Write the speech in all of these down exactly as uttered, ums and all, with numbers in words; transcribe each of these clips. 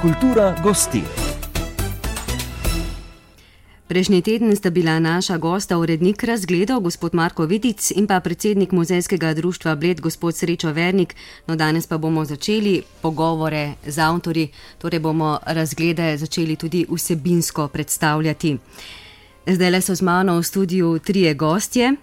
Kultura gosti. Prejšnji teden sta bila naša gosta urednik razgledov, gospod Marko Vitic, in pa predsednik Muzejskega društva Bled, gospod Srečo Vernik. No, danes pa bomo začeli pogovore z avtorji, torej bomo razglede začeli tudi vsebinsko predstavljati. Zdajle so z mano v studiu trije gostje.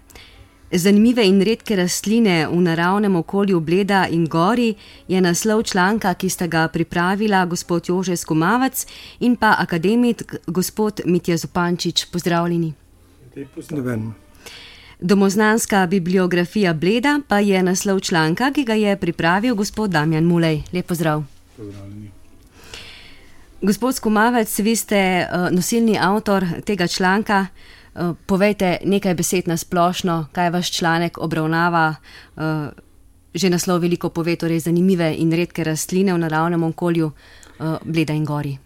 Zanimive in redke rastline v naravnem okolju Bleda in Gori je naslov članka, ki sta ga pripravila gospod Jože Skumavec in pa akademik gospod Mitja Zupančič. Pozdravljeni. Pozdravljeni. Domoznanska bibliografija Bleda pa je naslov članka, ki ga je pripravil gospod Damjan Mulej. Lep pozdrav. Pozdravljeni. Gospod Skumavec, vi ste nosilni avtor tega članka. Povejte nekaj besed na splošno, kaj vaš članek obravnava. Že naslov veliko pove, torej zanimive in redke rastline v naravnem okolju Bleda in Gori.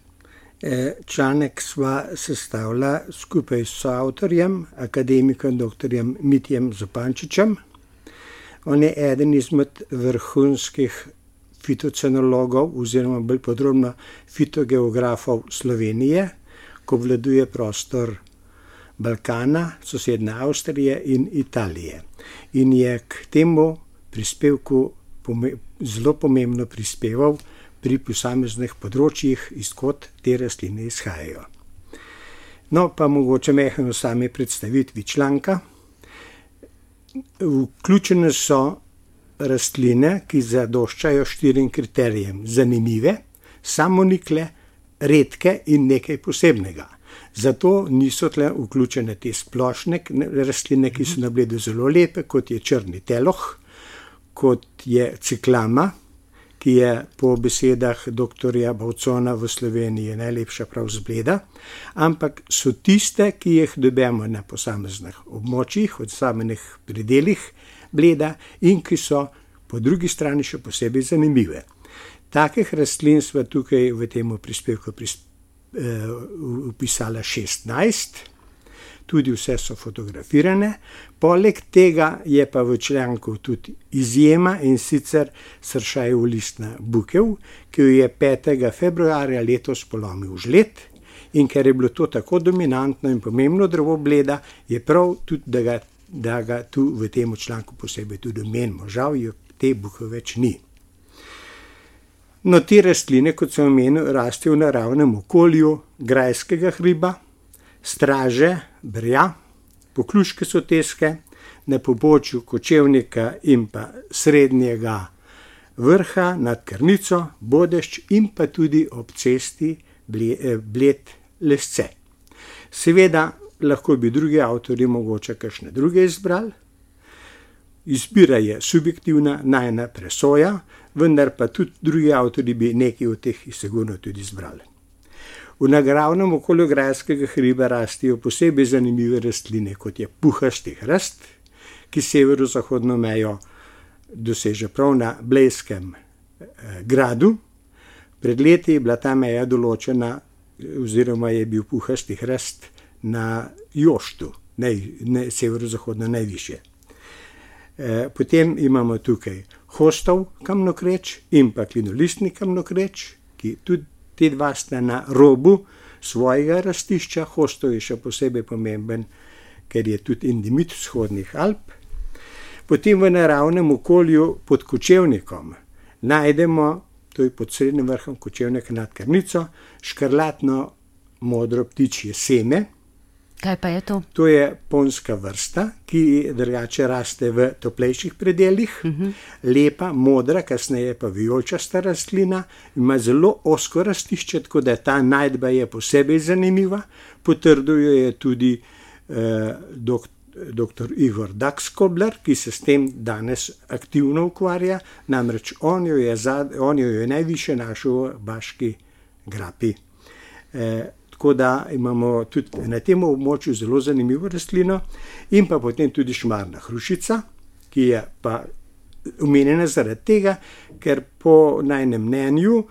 Članek sva sestavila skupaj s avtorjem, akademikom doktorjem Mitjem Zupančičem. On je eden izmed vrhunskih fitocenologov oziroma bolj podrobno fitogeografov Slovenije, ko obvladuje prostor Balkana, sosedne Avstrije in Italije. In je k temu prispevku zelo pomembno prispeval pri posameznih področjih, izkot te rastline izhajajo. No, pa mogoče mehno sami predstavitvi članka. Vključene so rastline, ki zadoščajo štirim kriterijem: zanimive, samonikle, redke in nekaj posebnega. Zato niso tle vključene te splošne rastline, ki so na Bledu zelo lepe, kot je črni teloh, kot je ciklama, ki je po besedah doktorja Bavcona v Sloveniji najlepša prav z Bleda, ampak so tiste, ki jih dobimo na posameznih območjih, od samih predelih Bleda in ki so po drugi strani še posebej zanimive. Takih rastlin sva tukaj v tem prispevku prispevku upisala šestnajst, tudi vse so fotografirane. Poleg tega je pa v članku tudi izjema, in sicer sršajev listna bukev, ki jo je petega februarja letos polomil žled, in ker je bilo to tako dominantno in pomembno drevo Bleda, je prav tudi, da ga, da ga tu v tem članku posebej tudi omenimo. Žal jo te buke več ni. No, te rastline, kot sem omenil, rastejo v naravnem okolju grajskega hriba, straže, brja, pokluške soteske, na pobočju Kočevnika in pa Srednjega vrha nad Krnico, Bodešč in pa tudi ob cesti Bled-Lesce. Seveda lahko bi drugi avtorji mogoče kakšne druge izbrali. Izbira je subjektivna, najina presoja, vendar pa tudi drugi avtorji bi nekaj od teh sigurno tudi izbrali. V naravnem okolju grajskega hriba rastijo posebej zanimive rastline, kot je puhasti hrast, ki severozahodno mejo doseže prav na Blejskem eh, gradu. Pred leti je bila ta meja določena, oziroma je bil puhasti hrast na Joštu, naj, ne, severozahodno najvišje. Potem imamo tukaj hostov kamnokreč in pa klinolistni kamnokreč, ki tudi te dva sta na robu svojega rastišča. Hostov je še posebej pomemben, ker je tudi endemit vzhodnih Alp. Potem v naravnem okolju pod Kočevnikom najdemo, to je pod Srednjim vrhom Kočevnika nad Krnico, škrlatno modro ptičje seme. Kaj pa je to? To je ponska vrsta, ki drugače raste v toplejših predelih. Uh-huh. Lepa, modra, kasneje pa vijolčasta rastlina, ima zelo ozko rastišče, tako da ta najdba je posebej zanimiva. Potrduje je tudi eh, dok, doktor Igor Dakskobler, ki se s tem danes aktivno ukvarja, namreč on jo je, zad, on jo je najviše našel v Baški grapi. Eh, Tako da imamo tudi na tem območju zelo zanimivo rastlino, in pa potem tudi šmarna hrušica, ki je pa omenjena zaradi tega, ker po najinem mnenju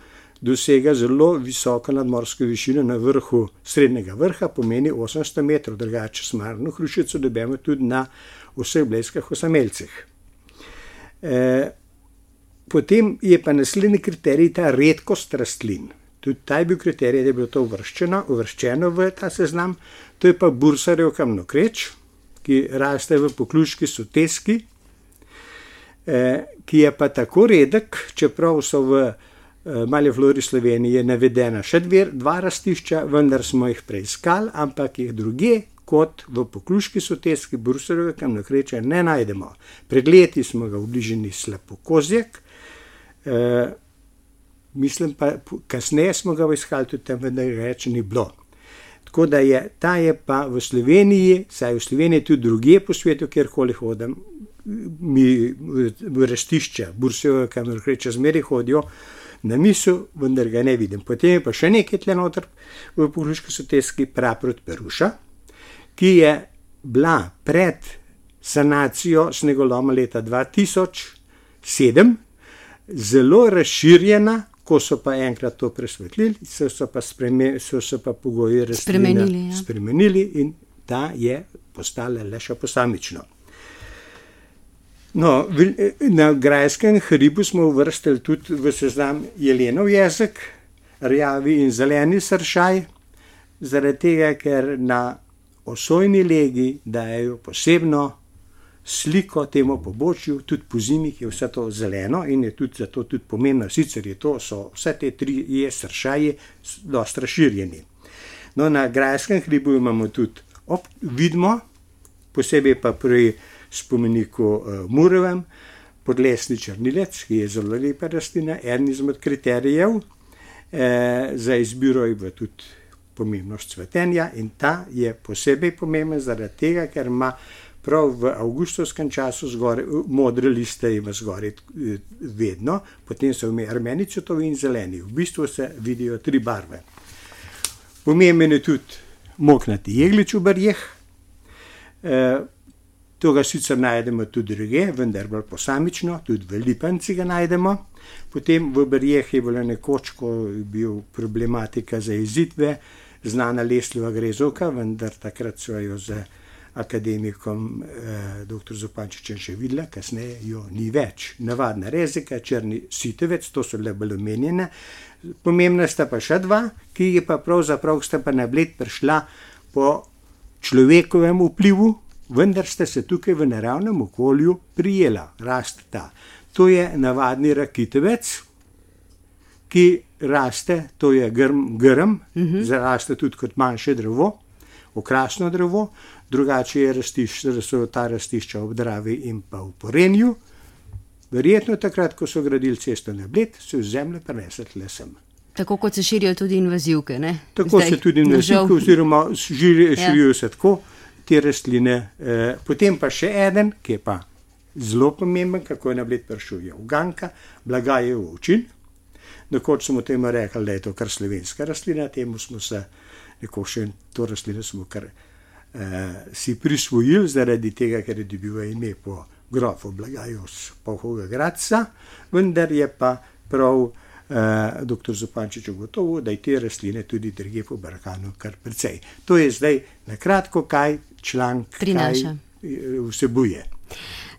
dosega zelo visoko nadmorsko višino na vrhu Srednjega vrha, pomeni osemsto metrov, drugače šmarno hrušico dobimo tudi na vseh blejskih osamelcih. E, potem je pa naslednji kriterij ta redkost rastlin. tudi ta je bil kriterij, da je bilo to uvrščeno, uvrščeno v ta seznam. To je pa bursarjev kamnokreč, ki raste v Pokljuški soteski, eh, ki je pa tako redek, čeprav so v eh, Mali flori Slovenije navedena še dve, dva rastišča, vendar smo jih preiskali, ampak jih druge kot v Pokljuški soteski bursarjevega kamnokreča ne najdemo. Pred leti smo ga v bližini Slepokozjek, eh, mislim pa, kasneje smo ga iskali tudi tam, vendar ga več ni bilo. Tako da je, ta je pa v Sloveniji, saj v Sloveniji tudi drugje po svetu, kjerkoli hodim, mi v rastišča bursarjevega kamnokreča zmeraj hodijo na misel, vendar ga ne vidim. Potem je pa še nekaj tle noter v Pokljuški soteski, Praprot Peruša, ki je bila pred sanacijo snegoloma leta dva tisoč sedem zelo razširjena, ko so pa enkrat to presvetlili, so, so, pa, spreme, so, so pa pogoji rastline spremenili, ja. spremenili in ta je postala le še posamično. No, na grajskem hribu smo uvrstili tudi v seznam jelenov jezik, rjavi in zeleni sršaj, zaradi tega, ker na osojni legi dajejo posebno sliko temu pobočju, tudi po zimi je vse to zeleno in je tudi zato tudi pomembno, sicer je to, so vse te tri je sršaji dosti razširjeni. No, na grajskem hribu imamo tudi ob, vidimo, posebej pa pri spomeniku uh, Murovem, podlesni črnilec, ki je zelo lepa rastlina, eden izmed kriterijev eh, za izbiro je v tudi pomembnost cvetenja in ta je posebej pomemben zaradi tega, ker ima prav v avgustovskem času zgore, modre liste ima zgore vedno, potem so vme rumeni cvetovi in zeleni. V bistvu se vidijo tri barve. Pomemben je tudi moknati jeglič v barjeh. E, to ga sicer najdemo tudi druge, vendar bolj posamično, tudi v lipanci ga najdemo. Potem v barjeh je bilo nekoč, ko je bil problematika za izidve, znana lesljeva grezovka, vendar takrat so jo z akademikom eh, doktor Zupančičem še videla, kasneje jo ni več. Navadna rezika, črni sitevec, to so le bolj omenjene. Pomembna sta pa še dva, ki je pa pravzaprav sta pa na Bled prišla po človekovem vplivu, vendar sta se tukaj v naravnem okolju prijela, rasteta. To je navadni rakitevec, ki raste, to je grm, grm uh-huh. zaraste tudi kot manjše drevo, okrasno drevo, drugače je rastiš, so ta rastišča ob Dravi in pa v Porenju. Verjetno takrat, ko so gradili cesto na Bled, so iz zemlje prenesli le sem. Tako kot se širijo tudi invazivke, ne? Tako Zdaj, se tudi invazivke, oziroma širijo, širijo ja. se tako te rastline. Eh, potem pa še eden, ki je pa zelo pomemben, kako je na Bled prišel, je uganka, Blagajev ovčin. Nekoč smo temu rekli, da je to kar slovenska rastlina, temu smo se, nekoč še to rastlino smo kar eh, si prisvojili, zaradi tega, ker je dobil ime po grofu Blagaju z Polhovega Gradca, vendar je pa prav eh, doktor Zupančič ugotovil, da je te rastline tudi drugje po Balkanu kar precej. To je zdaj na kratko, kaj članek kaj vsebuje.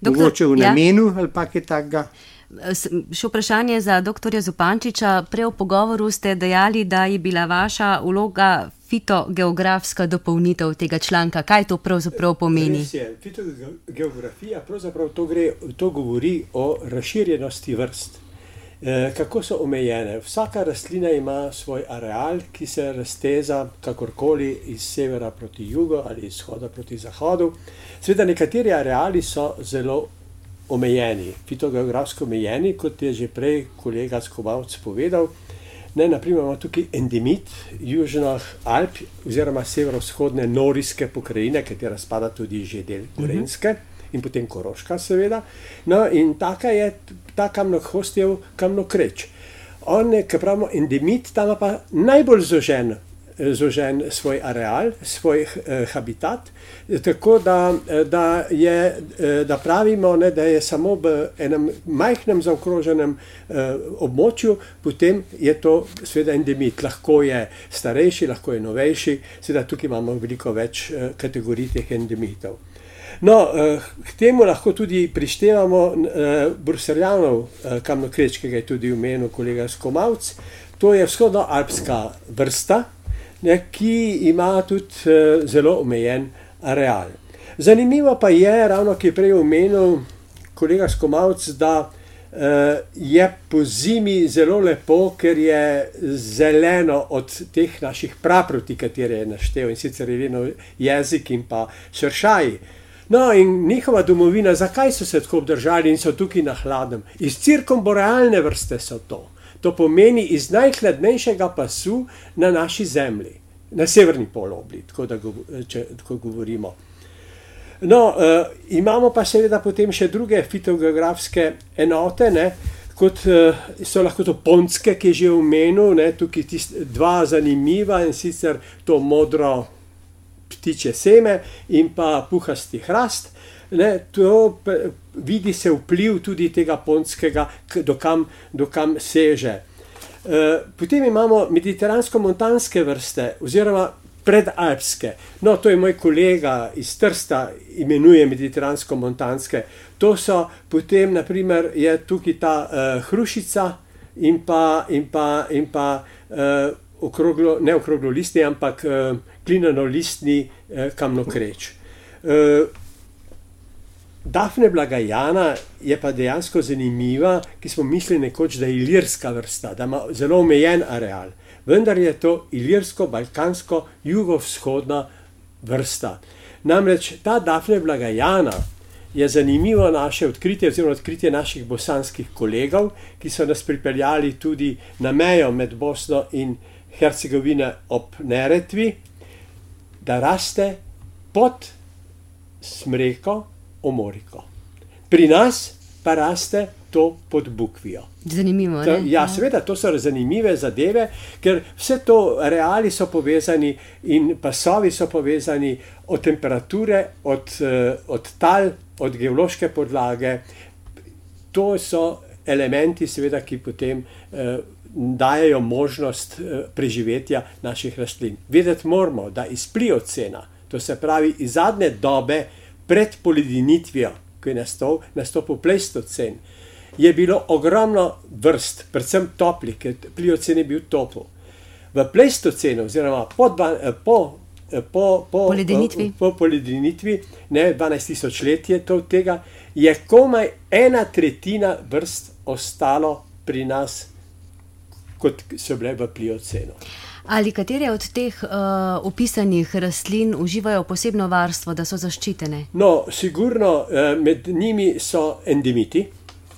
Doktor, Mogoče v namenu ja. ali pa kaj takega. Še vprašanje za doktorja Zupančiča. Prej v pogovoru ste dejali, da je bila vaša vloga fitogeografska dopolnitev tega članka. Kaj to pravzaprav pomeni? Res je. Fitogeografija pravzaprav to, gre, to govori o razširjenosti vrst. E, kako so omejene? Vsaka rastlina ima svoj areal, ki se razteza kakorkoli iz severa proti jugu ali iz vzhoda proti zahodu. Seveda nekateri areali so zelo omejeni, fitogeografsko omejeni, kot je že prej kolega Skovalc povedal. Ne, naprimer imamo tukaj endemit južnih Alp oziroma severovzhodne norijske pokrajine, katera spada tudi že del Gorenjske uh-huh. in potem Koroška seveda. No in taka je ta kamnohostjev kamnokreč. On, ki pravimo endemit, tam pa najbolj zožen zožen svoj areal, svoj eh, habitat, tako da, da, je, da pravimo, ne, da je samo v enem majhnem zaokroženem eh, območju, potem je to seveda endemit. Lahko je starejši, lahko je novejši, seveda tukaj imamo veliko več eh, kategorij teh endemitov. No, eh, k temu lahko tudi prištevamo eh, Brusseljanov eh, kamnokreč, ki ga je tudi omenil kolega Skomalc. to je vzhodnoalpska vrsta, ne, ki ima tudi uh, zelo omejen areal. Zanimivo pa je, ravno ki je prej omenil kolega Skomalc, da uh, je po zimi zelo lepo, ker je zeleno od teh naših praproti, katere je naštel, in sicer je jezik in pa šršaji. No, in njihova domovina, zakaj so se tako obdržali in so tukaj na hladnem? Iz cirkumborealne vrste so to. To pomeni iz najhladnejšega pasu na naši zemlji, na severni polobli, tako da go, če, tako govorimo. No, uh, imamo pa seveda potem še druge fitogeografske enote, ne, kot uh, so lahko to pontske, ki je že omenil, ne, tukaj tist, dva zanimiva, in sicer to modro ptiče seme in pa puhasti hrast. Ne, to vidi se vpliv tudi tega pontskega, dokam, dokam seže. E, potem imamo mediteransko-montanske vrste oziroma predalpske. No, to je moj kolega iz Trsta, imenuje mediteransko-montanske. To so potem, naprimer, je tukaj ta uh, hrušica in pa, in pa, in pa uh, okroglo, ne okroglo listni, ampak uh, klinano-listni uh, kamnokreč. Uh, Dafne blagajana je pa dejansko zanimiva, ki smo mislili nekoč, da je ilirska vrsta, da ima zelo omejen areal. Vendar je to ilirsko-balkansko jugovzhodna vrsta. Namreč ta Dafne blagajana je zanimivo naše odkritje, oziroma odkritje naših bosanskih kolegov, ki so nas pripeljali tudi na mejo med Bosno in Hercegovino ob Neretvi, da raste pod smreko omoriko. Pri nas pa raste to pod bukvijo. Zanimivo, to, ne? Ja, seveda, to so zanimive zadeve, ker vse to areali so povezani in pasovi so povezani od temperature, od, od tal, od geološke podlage. To so elementi, seveda, ki potem eh, dajejo možnost eh, preživetja naših rastlin. Vedeti moramo, da iz pliocena, to se pravi iz zadnje dobe pred poledinitvijo, ko je nastop, nastopil pleistocen, je bilo ogromno vrst, predvsem toplih, ker pliocen je bil topel. V pleistocenu, oziroma po, po, po, po poledinitvi, po poledinitvi ne, dvanajst tisoč let je to tega, je komaj ena tretjina vrst ostalo pri nas, kot so bile v pliocenu. Ali katere od teh uh, opisanih rastlin uživajo posebno varstvo, da so zaščitene? No, sigurno med njimi so endemiti,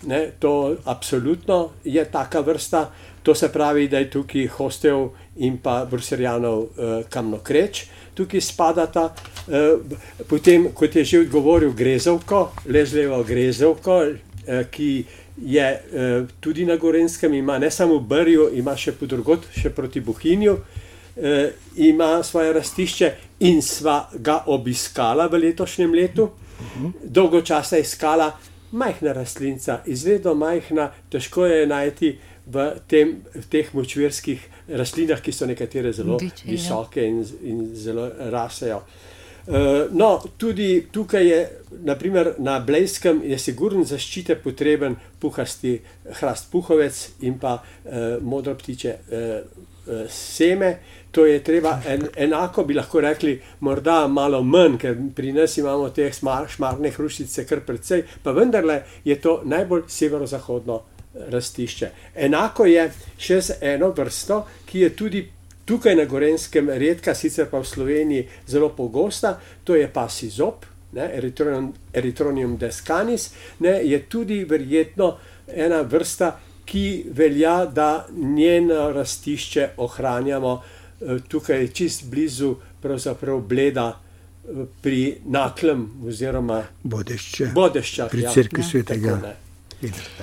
ne, to absolutno je taka vrsta, to se pravi, da je tukaj hostev in pa bruserjanov uh, kamnokreč, tukaj spadata, uh, potem, kot je že odgovoril, grezovko, lezlevo grezovko, uh, ki je eh, tudi na Gorenjskem, ima ne samo v Brju, ima še podrugot, še proti Bohinju, eh, ima svoje rastišče in sva ga obiskala v letošnjem letu. Dolgo časa je iskala majhna rastlinca, izredno majhna, težko je najti v, tem, v teh močvirskih rastlinah, ki so nekatere zelo Biče, visoke in, in zelo rasejo. No, tudi tukaj je, naprimer na Blejskem je sigurno zaščite potreben puhasti hrast puhovec in pa eh, modro ptiče eh, seme. To je treba, en, enako bi lahko rekli, morda malo manj, ker pri nas imamo te smar, šmarne hrušice kar precej, pa vendarle je to najbolj severozahodno rastišče. Enako je še z eno vrsto, ki je tudi tukaj na Gorenjskem redka, sicer pa v Sloveniji zelo pogosta, to je pasji zob, ne, Erythronium, Erythronium descanis, ne, je tudi verjetno ena vrsta, ki velja, da njeno rastišče ohranjamo tukaj čist blizu pravzaprav Bleda pri Naklem oziroma Bodešče, Bodeščah, pri ja, cerkvi svetega.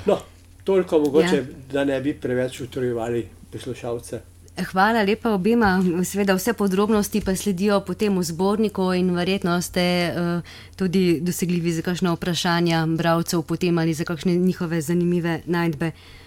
No, toliko mogoče, ja. Da ne bi preveč utrujevali poslušalce. Hvala lepa obima, seveda vse podrobnosti pa sledijo potem v zborniku in verjetno ste uh, tudi dosegljivi za kakšne vprašanja bralcev potem ali za kakšne njihove zanimive najdbe.